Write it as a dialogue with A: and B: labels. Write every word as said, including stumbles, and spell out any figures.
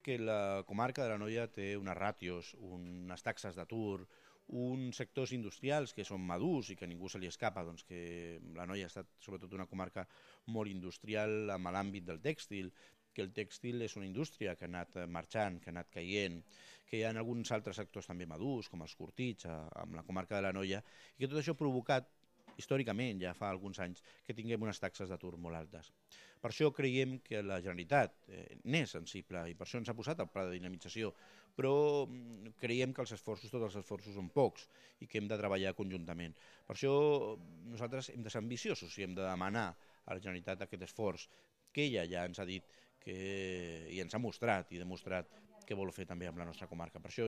A: que la comarca de l'Anoia té unes ràtios, unes taxes d'atur, uns sectors industrials que són madurs i que a ningú se li escapa, doncs que l'Anoia ha estat sobretot una comarca molt industrial amb l'àmbit del tèxtil, que el tèxtil és una indústria que ha anat marxant, que ha anat caient, que hi ha alguns altres sectors també madurs, com els curtits, amb la comarca de l'Anoia, i que tot això ha provocat, històricament, ja fa alguns anys, que tinguem unes taxes d'atur molt altes. Per això creiem que la Generalitat eh, n'és sensible i per això ens ha posat el pla de dinamització, però creiem que els esforços, tots els esforços són pocs i que hem de treballar conjuntament. Per això nosaltres hem de ser ambiciosos i hem de demanar a la Generalitat aquest esforç que ella ja ens ha dit que, i ens ha mostrat i demostrat que vol fer també amb la nostra comarca. Per això